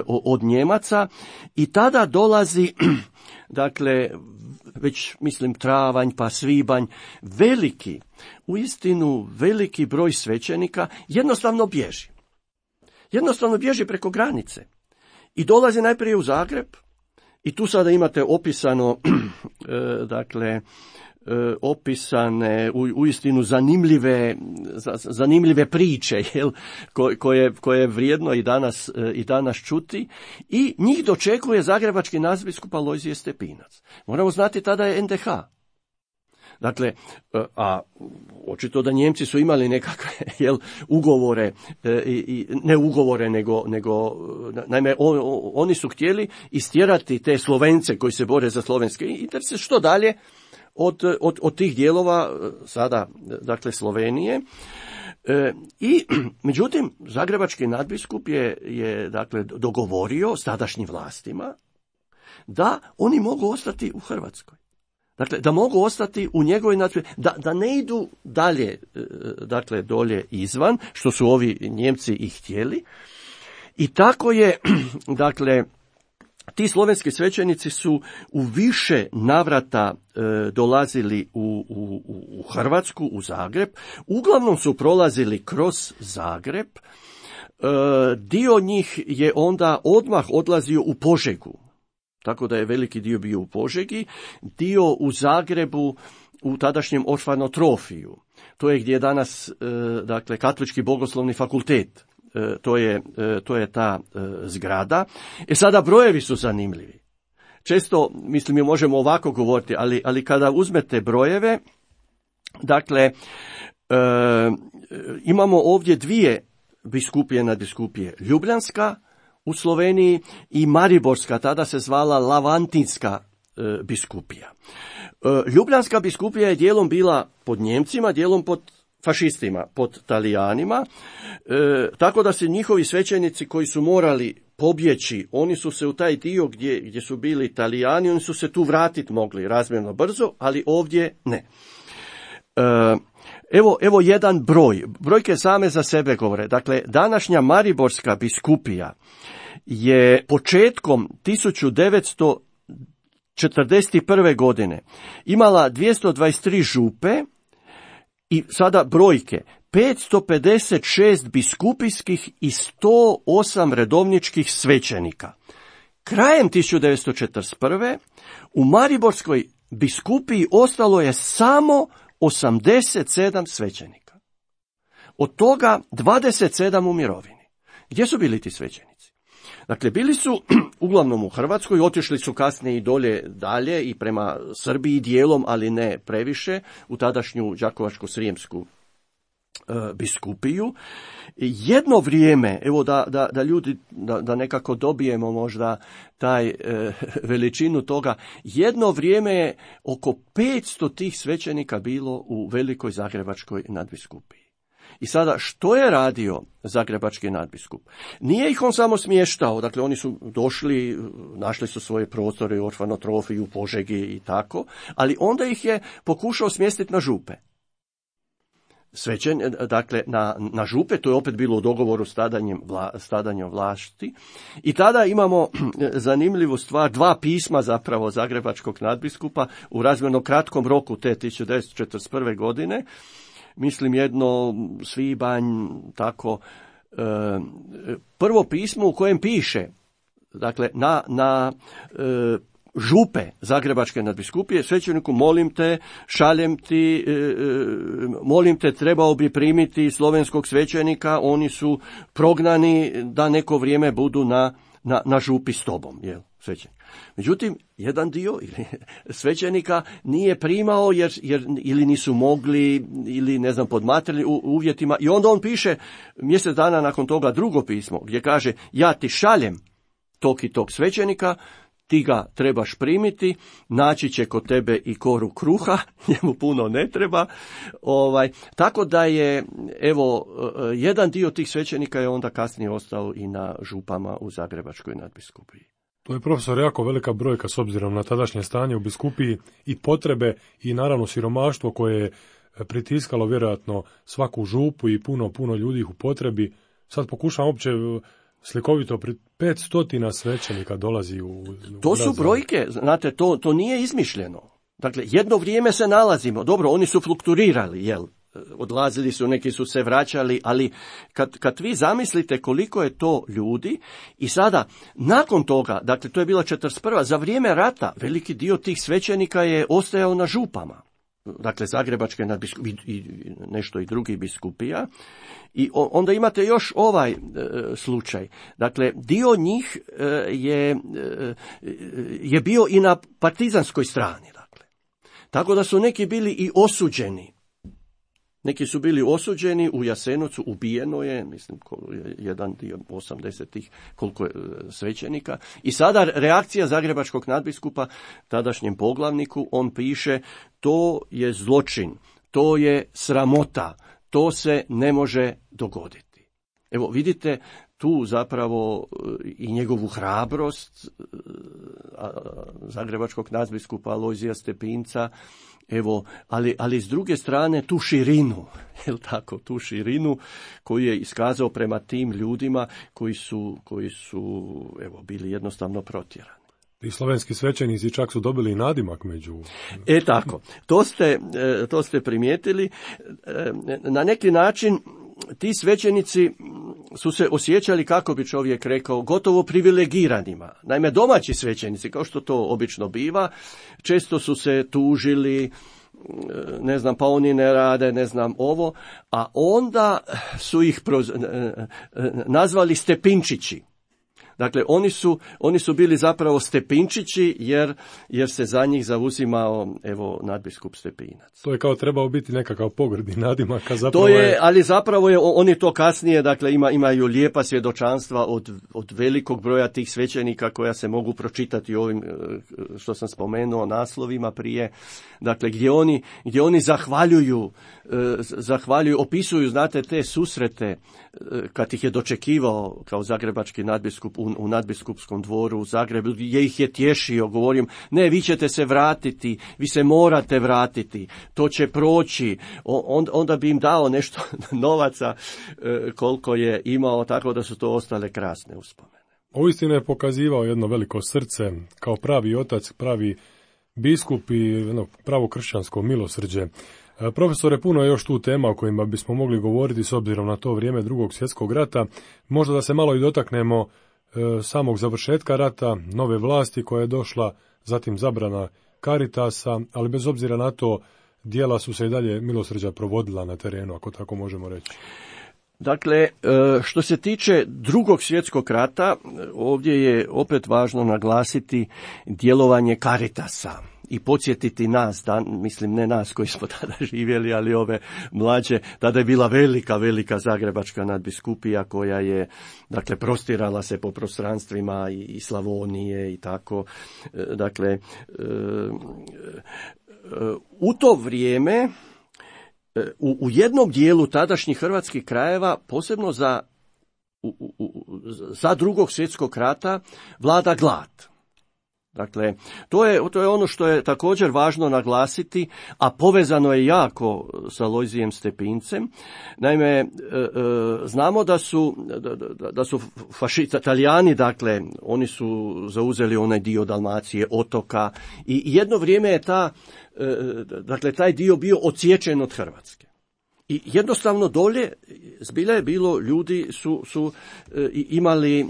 od Njemaca. I tada dolazi, dakle, već mislim travanj pa svibanj, uistinu veliki broj svećenika jednostavno bježi. Jednostavno bježi preko granice i dolazi najprije u Zagreb i tu sada imate opisano, dakle, opisane uistinu zanimljive priče, jel, koje je vrijedno i danas čuti, i njih dočekuje zagrebački nadbiskup Alojzije Stepinac. Moramo znati, tada je NDH. Dakle, a očito da Njemci su imali nekakve ugovore, ne ugovore, nego naime, oni su htjeli istjerati te Slovence koji se bore za slovenske interese što dalje od tih dijelova sada, dakle, Slovenije. I međutim, zagrebački nadbiskup je dakle dogovorio s tadašnjim vlastima da oni mogu ostati u Hrvatskoj. Dakle, da mogu ostati u njegovoj da ne idu dalje, dakle, dolje izvan, što su ovi Njemci i htjeli. I tako je, dakle, ti slovenski svećenici su u više navrata dolazili u Hrvatsku, u Zagreb. Uglavnom su prolazili kroz Zagreb. Dio njih je onda odmah odlazio u Požegu. Tako da je veliki dio bio u Požegi, dio u Zagrebu, u tadašnjem Orfanotrofiju. To je gdje je danas, dakle, Katolički bogoslovni fakultet. To je ta zgrada. Sada brojevi su zanimljivi. Često, mislim, mi možemo ovako govoriti, ali kada uzmete brojeve, dakle, imamo ovdje dvije biskupije nadbiskupije. Ljubljanska u Sloveniji i Mariborska, tada se zvala Lavantinska biskupija. Ljubljanska biskupija je dijelom bila pod Njemcima, dijelom pod fašistima, pod Talijanima, tako da se njihovi svećenici koji su morali pobjeći, oni su se u taj dio gdje su bili Talijani, oni su se tu vratiti mogli razmjerno brzo, ali ovdje ne. Evo jedan broj. Brojke same za sebe govore. Dakle, današnja Mariborska biskupija je početkom 1941. godine imala 223 župe i sada brojke. 556 biskupijskih i 108 redovničkih svećenika. Krajem 1941. u Mariborskoj biskupiji ostalo je samo 87 svećenika. Od toga 27 u mirovini. Gdje su bili ti svećenici? Dakle, bili su uglavnom u Hrvatskoj, otišli su kasnije i dalje i prema Srbiji dijelom, ali ne previše, u tadašnju Đakovačko-srijemsku biskupiju. Jedno vrijeme, evo da ljudi, da nekako dobijemo možda taj veličinu toga, jedno vrijeme je oko 500 tih svećenika bilo u Velikoj Zagrebačkoj nadbiskupiji. I sada, što je radio Zagrebački nadbiskup? Nije ih on samo smještao, dakle oni su došli, našli su svoje prostore u Orfanotrofiji, u Požegi i tako, ali onda ih je pokušao smjestiti na župe. Dakle, na župe, to je opet bilo u dogovoru stadanjem vlasti. I tada imamo zanimljivu stvar, 2 pisma zapravo Zagrebačkog nadbiskupa u razmjerno kratkom roku te 1941. godine. Mislim jedno svibanj, tako, prvo pismo u kojem piše, dakle, na župe Zagrebačke nadbiskupije, svećeniku, molim te, šaljem ti, molim te, trebao bi primiti slovenskog svećenika, oni su prognani da neko vrijeme budu na župi s tobom, jel, svećenik. Međutim, jedan dio svećenika nije primao jer ili nisu mogli, ili ne znam, pod materijalnim uvjetima, i onda on piše mjesec dana nakon toga drugo pismo gdje kaže, ja ti šaljem tog i tog svećenika, ti ga trebaš primiti, naći će kod tebe i koru kruha, njemu puno ne treba. Tako da je, evo, jedan dio tih svećenika je onda kasnije ostao i na župama u Zagrebačkoj nadbiskupiji. To je, profesor, jako velika brojka s obzirom na tadašnje stanje u biskupiji i potrebe i naravno siromaštvo koje je pritiskalo vjerojatno svaku župu i puno ljudi u potrebi. Sad pokušam uopće slikovito, 500 svećenika dolazi u to su brojke, znate, to nije izmišljeno. Dakle, jedno vrijeme se nalazimo, dobro, oni su flukturirali, jel? Odlazili su, neki su se vraćali, ali kad vi zamislite koliko je to ljudi, i sada, nakon toga, dakle, to je bila 41. za vrijeme rata, veliki dio tih svećenika je ostajao na župama. Dakle, Zagrebačke nadbiskupije i nešto i drugih biskupija. I onda imate još ovaj slučaj. Dakle, dio njih je bio i na partizanskoj strani. Dakle. Tako da su neki bili i osuđeni. Neki su bili osuđeni, u Jasenovcu ubijeno je, mislim, jedan dio 80-ih, koliko je svećenika. I sada reakcija Zagrebačkog nadbiskupa, tadašnjem poglavniku, on piše, to je zločin, to je sramota, to se ne može dogoditi. Evo, vidite tu zapravo i njegovu hrabrost Zagrebačkog nadbiskupa Alojzija Stepinca, evo, ali s druge strane tu širinu, jel tako, tu širinu koju je iskazao prema tim ljudima koji su evo, bili jednostavno protjerani. I slovenski svećenici čak su dobili nadimak među... Tako, to ste primijetili. Na neki način ti svećenici su se osjećali, kako bi čovjek rekao, gotovo privilegiranima. Naime, domaći svećenici, kao što to obično biva, često su se tužili, ne znam, pa oni ne rade, ne znam ovo, a onda su ih nazvali Stepinčići. Dakle, oni su bili zapravo Stepinčići jer se za njih zauzimao, evo, nadbiskup Stepinac. To je kao trebao biti nekakav pogrdni nadimak, a zapravo ali zapravo je, oni to kasnije, dakle, imaju lijepa svjedočanstva od velikog broja tih svećenika koja se mogu pročitati ovim, što sam spomenuo, naslovima prije, dakle, gdje oni zahvaljuju, opisuju, znate, te susrete kad ih je dočekivao kao zagrebački nadbiskup u nadbiskupskom dvoru u Zagrebu, gdje ih je tješio, govorim, ne, vi ćete se vratiti, vi se morate vratiti, to će proći, onda bi im dao nešto novaca koliko je imao, tako da su to ostale krasne uspomene. Uistinu je pokazivao jedno veliko srce, kao pravi otac, pravi biskup i pravo kršćansko milosrđe. Profesore, puno je još tu tema o kojima bismo mogli govoriti s obzirom na to vrijeme Drugog svjetskog rata. Možda da se malo i dotaknemo samog završetka rata, nove vlasti koja je došla, zatim zabrana Caritasa, ali bez obzira na to djela su se i dalje milosrđa provodila na terenu, ako tako možemo reći. Dakle, što se tiče Drugog svjetskog rata, ovdje je opet važno naglasiti djelovanje Caritasa. i podsjetiti nas, mislim ne nas koji smo tada živjeli, ali ove mlađe, tada je bila velika zagrebačka nadbiskupija koja je, dakle, prostirala se po prostranstvima i Slavonije i tako. Dakle, u to vrijeme u jednom dijelu tadašnjih hrvatskih krajeva, posebno za Drugog svjetskog rata, vlada glad. Dakle, to je ono što je također važno naglasiti, a povezano je jako sa Alojzijem Stepincem. Naime, znamo da su Talijani, dakle, oni su zauzeli onaj dio Dalmacije, otoka, i jedno vrijeme je taj dio bio odsječen od Hrvatske. I jednostavno dolje zbilja je bilo, ljudi su imali,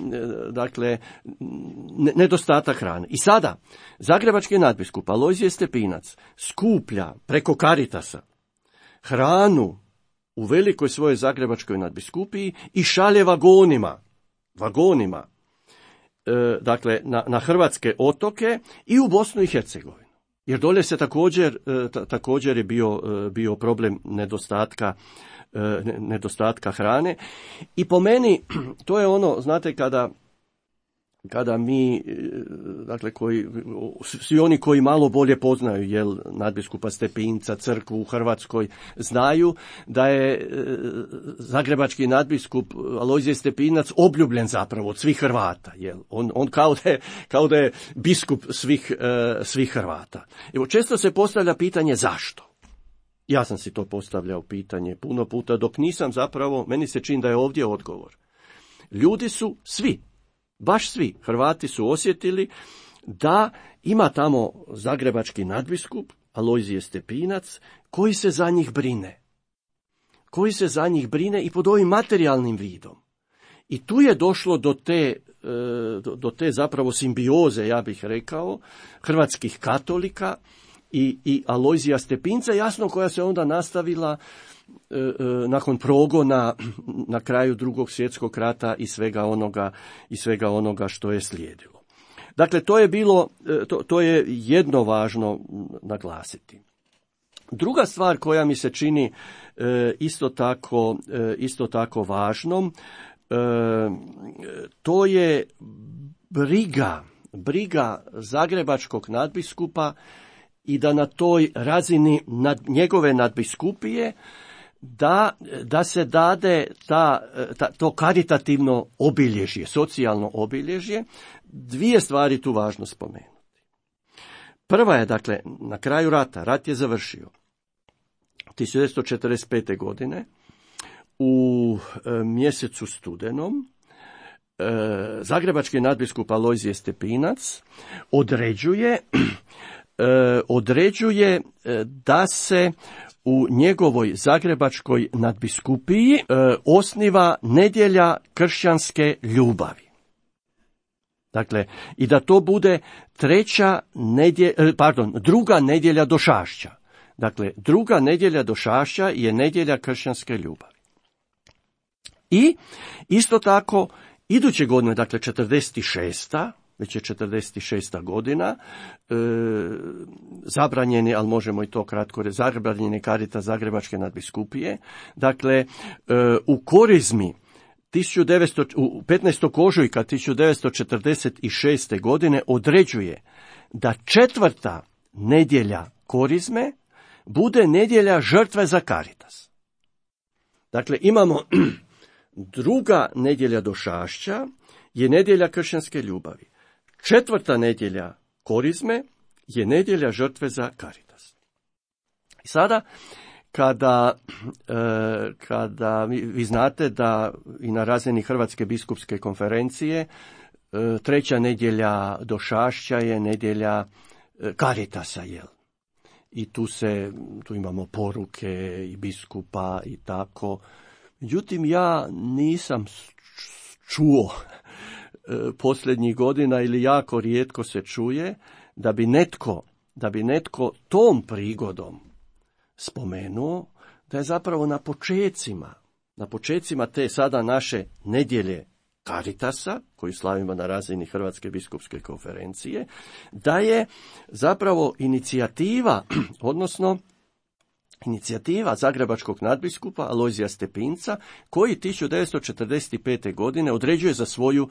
dakle, nedostatak hrane. I sada zagrebački nadbiskup Alojzije Stepinac skuplja preko Caritasa hranu u velikoj svojoj zagrebačkoj nadbiskupiji i šalje vagonima, dakle, na hrvatske otoke i u Bosnu i Hercegovinu. Jer dolje se također je bio problem nedostatka hrane. I po meni to je ono, znate, kada mi, dakle, svi oni koji malo bolje poznaju nadbiskupa Stepinca, crkvu u Hrvatskoj, znaju da je zagrebački nadbiskup Alojzije Stepinac obljubljen zapravo od svih Hrvata. On kao da je biskup svih Hrvata. Evo, često se postavlja pitanje zašto. Ja sam si to postavljao pitanje puno puta, dok nisam zapravo, meni se čini da je ovdje odgovor. Ljudi su svi, baš svi Hrvati su osjetili da ima tamo zagrebački nadbiskup Alojzije Stepinac koji se za njih brine i pod ovim materijalnim vidom. I tu je došlo do te zapravo simbioze, ja bih rekao, hrvatskih katolika i Alojzija Stepinca, jasno, koja se onda nastavila nakon progona na kraju Drugog svjetskog rata i svega onoga što je slijedilo. Dakle, to je jedno važno naglasiti. Druga stvar koja mi se čini isto tako važnom, to je briga zagrebačkog nadbiskupa i da na toj razini njegove nadbiskupije da se dade to karitativno obilježje, socijalno obilježje. Dvije stvari tu važno spomenuti. Prva je, dakle, na kraju rata, rat je završio 1945. godine, u mjesecu studenom, zagrebački nadbiskup Alojzije Stepinac određuje da se u njegovoj zagrebačkoj nadbiskupiji osniva nedjelja kršćanske ljubavi. Dakle, i da to bude druga nedjelja Došašća. Dakle, druga nedjelja Došašća je nedjelja kršćanske ljubavi. I isto tako, iduće godine, dakle 46. već je 46. godina, zabranjeni, ali možemo i to kratko reći, zabranjeni Caritas zagrebačke nadbiskupije. Dakle, u Korizmi 15. ožujka 1946. godine određuje da 4. nedjelja Korizme bude nedjelja žrtve za Caritas. Dakle, imamo druga nedjelja Došašća je nedjelja kršćanske ljubavi. 4. nedjelja Korizme je nedjelja žrtve za Caritas. I sada, kada vi znate da i na razini Hrvatske biskupske konferencije 3. nedjelja Došašća je nedjelja Caritasa, I tu imamo poruke i biskupa i tako. Međutim, ja nisam čuo posljednjih godina, ili jako rijetko se čuje, da bi netko tom prigodom spomenuo da je zapravo na počecima te sada naše nedjelje Caritasa, koju slavimo na razini Hrvatske biskupske konferencije, da je zapravo inicijativa, odnosno inicijativa zagrebačkog nadbiskupa Alojzija Stepinca, koji 1945. godine određuje za svoju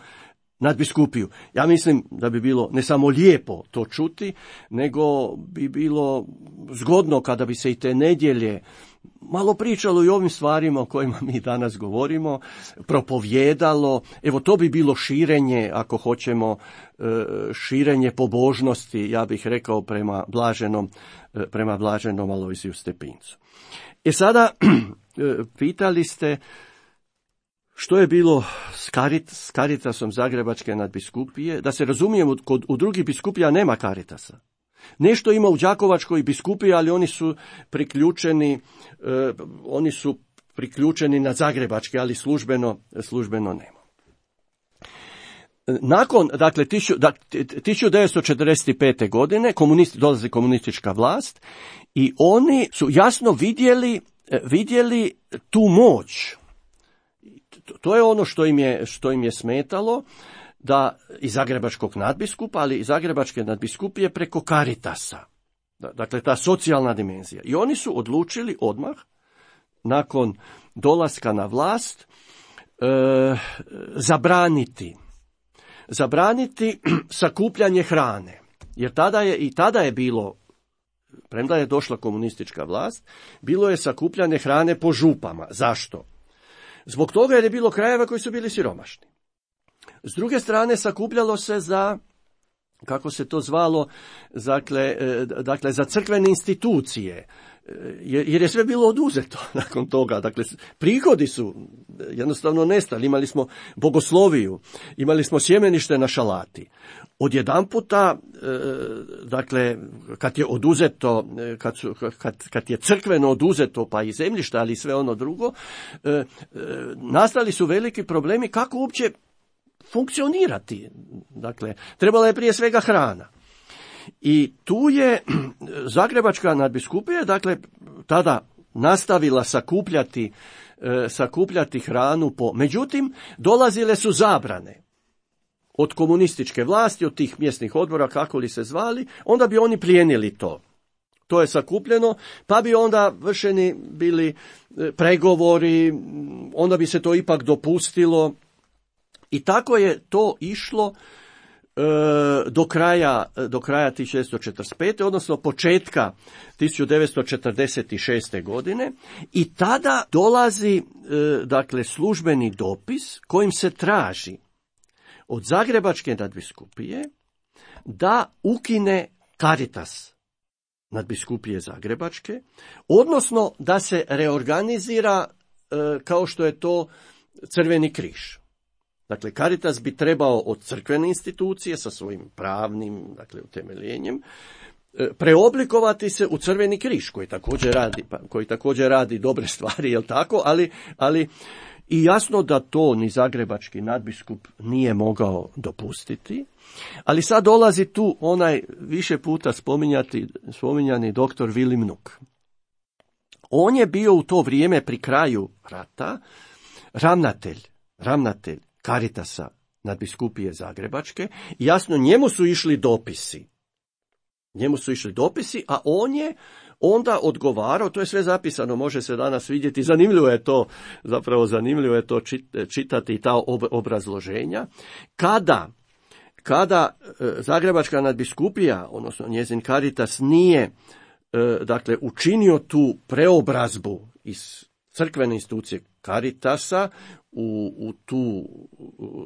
nadbiskupiju. Ja mislim da bi bilo ne samo lijepo to čuti, nego bi bilo zgodno kada bi se i te nedjelje malo pričalo i o ovim stvarima o kojima mi danas govorimo, propovjedalo. Evo, to bi bilo širenje, ako hoćemo, širenje pobožnosti, ja bih rekao, prema blaženom Alojziju Stepincu. Sada, pitali ste što je bilo s Caritasom Zagrebačke nadbiskupije. Da se razumijemo, u drugih biskupija nema Caritasa. Nešto ima u Đakovačkoj biskupiji, ali oni su priključeni na Zagrebačke, ali službeno nema. Nakon, dakle, 1945. godine dolazi komunistička vlast i oni su jasno vidjeli tu moć. To je ono što im je smetalo, da i zagrebačkog nadbiskupa, ali i zagrebačke nadbiskupije preko Caritasa. Dakle, ta socijalna dimenzija. I oni su odlučili odmah, nakon dolaska na vlast, zabraniti sakupljanje hrane. Jer tada je bilo, premda je došla komunistička vlast, bilo je sakupljanje hrane po župama. Zašto? Zbog toga jer je bilo krajeva koji su bili siromašni. S druge strane, sakupljalo se za, kako se to zvalo, dakle za crkvene institucije, jer je sve bilo oduzeto nakon toga. Dakle, prihodi su jednostavno nestali. Imali smo bogosloviju, imali smo sjemenište na Šalati. Odjedanputa, dakle, kad je oduzeto, kad je crkveno oduzeto, pa i zemljišta, ali i sve ono drugo, nastali su veliki problemi kako uopće funkcionirati. Dakle, trebala je prije svega hrana. I tu je Zagrebačka nadbiskupija, dakle, tada nastavila sakupljati hranu međutim, dolazile su zabrane od komunističke vlasti, od tih mjesnih odbora, kako li se zvali, onda bi oni plijenili to. To je sakupljeno, pa bi onda vršeni bili pregovori, onda bi se to ipak dopustilo. I tako je to išlo do kraja 1645. odnosno početka 1946. godine i tada dolazi dakle službeni dopis kojim se traži od Zagrebačke nadbiskupije da ukine Caritas nadbiskupije Zagrebačke, odnosno da se reorganizira kao što je to Crveni križ. Dakle, Caritas bi trebao od crkvene institucije sa svojim pravnim, dakle, utemeljenjem preoblikovati se u Crveni križ, koji također radi dobre stvari, jel tako, ali i jasno da to ni zagrebački nadbiskup nije mogao dopustiti. Ali sad dolazi tu onaj više puta spominjani doktor Vilim Nuk. On je bio u to vrijeme pri kraju rata ravnatelj Caritasa nadbiskupije Zagrebačke. Jasno, njemu su išli dopisi, a on je onda odgovarao, to je sve zapisano, može se danas vidjeti, zanimljivo je to čitati i ta obrazloženja. Kada Zagrebačka nadbiskupija, odnosno njezin Caritas, nije dakle učinio tu preobrazbu iz crkvene institucije Caritasa u tu,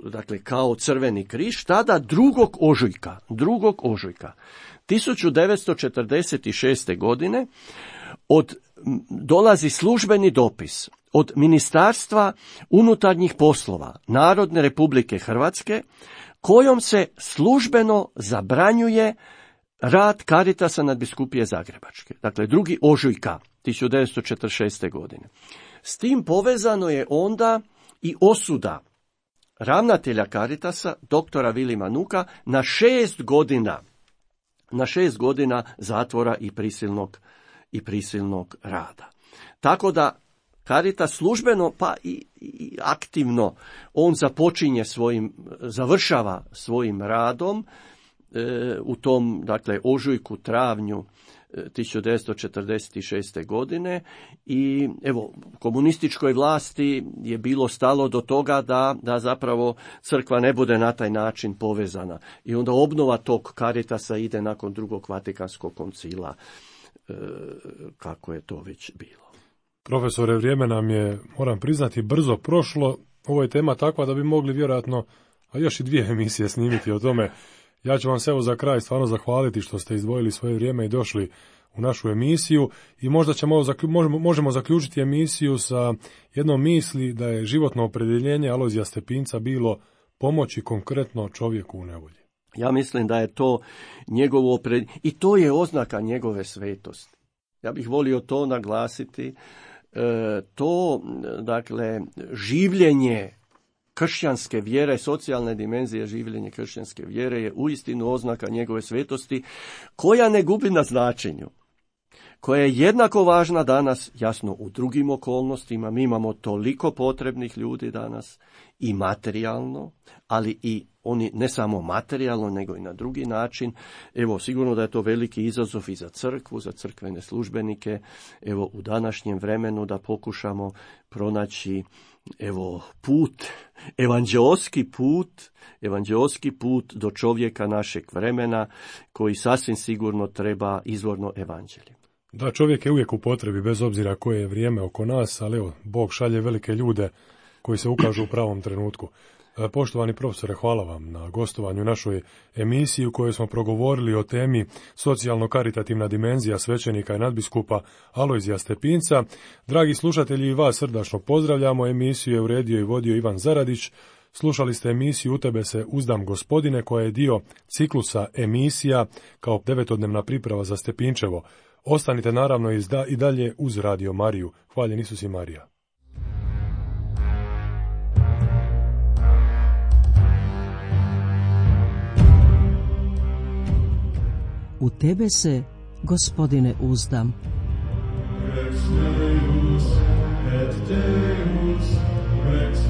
dakle, kao Crveni križ, tada 2. ožujka 1946. godine dolazi službeni dopis od Ministarstva unutarnjih poslova Narodne Republike Hrvatske, kojom se službeno zabranjuje rad Caritasa nadbiskupije Zagrebačke. Dakle, 2. ožujka 1946. godine. S tim povezano je onda i osuda ravnatelja Caritasa, doktora Vilima Nuka, na 6 godina zatvora i prisilnog rada. Tako da Caritas službeno pa i aktivno on završava svojim radom u tom, dakle, ožujku, travnju 1946. godine i evo, komunističkoj vlasti je bilo stalo do toga da zapravo crkva ne bude na taj način povezana. I onda obnova tog Caritasa ide nakon drugog Vatikanskog koncila, kako je to već bilo. Profesore, vrijeme nam je, moram priznati, brzo prošlo. Ovo je tema takva da bi mogli vjerojatno još i 2 emisije snimiti o tome. Ja ću vam se evo za kraj stvarno zahvaliti što ste izdvojili svoje vrijeme i došli u našu emisiju i možda možemo zaključiti emisiju sa jednom misli da je životno opredjeljenje Alojzija Stepinca bilo pomoći konkretno čovjeku u nevolji. Ja mislim da je to njegovo i to je oznaka njegove svetosti. Ja bih volio to naglasiti. To, dakle, življenje kršćanske vjere, socijalne dimenzije življenja kršćanske vjere je uistinu oznaka njegove svetosti, koja ne gubi na značenju, koja je jednako važna danas, jasno u drugim okolnostima. Mi imamo toliko potrebnih ljudi danas i materijalno, ali i oni ne samo materijalno, nego i na drugi način. Evo, sigurno da je to veliki izazov i za crkvu, za crkvene službenike, evo, u današnjem vremenu da pokušamo pronaći, evo, put, evanđeoski put do čovjeka našeg vremena, koji sasvim sigurno treba izvorno evanđelje. Da, čovjek je uvijek u potrebi, bez obzira koje je vrijeme oko nas, ali evo, Bog šalje velike ljude koji se ukažu u pravom trenutku. Poštovani profesore, hvala vam na gostovanju u našoj emisiji u kojoj smo progovorili o temi socijalno-karitativna dimenzija svećenika i nadbiskupa Alojzija Stepinca. Dragi slušatelji, i vas srdačno pozdravljamo. Emisiju je uredio i vodio Ivan Zaradić. Slušali ste emisiju U tebe se uzdam, Gospodine, koja je dio ciklusa emisija kao 9-dnevna priprava za Stepinčevo. Ostanite naravno i dalje uz Radio Mariju. Hvaljen Isus i Marija. U tebe se, Gospodine, uzdam. Rex Deus et Deus, Rex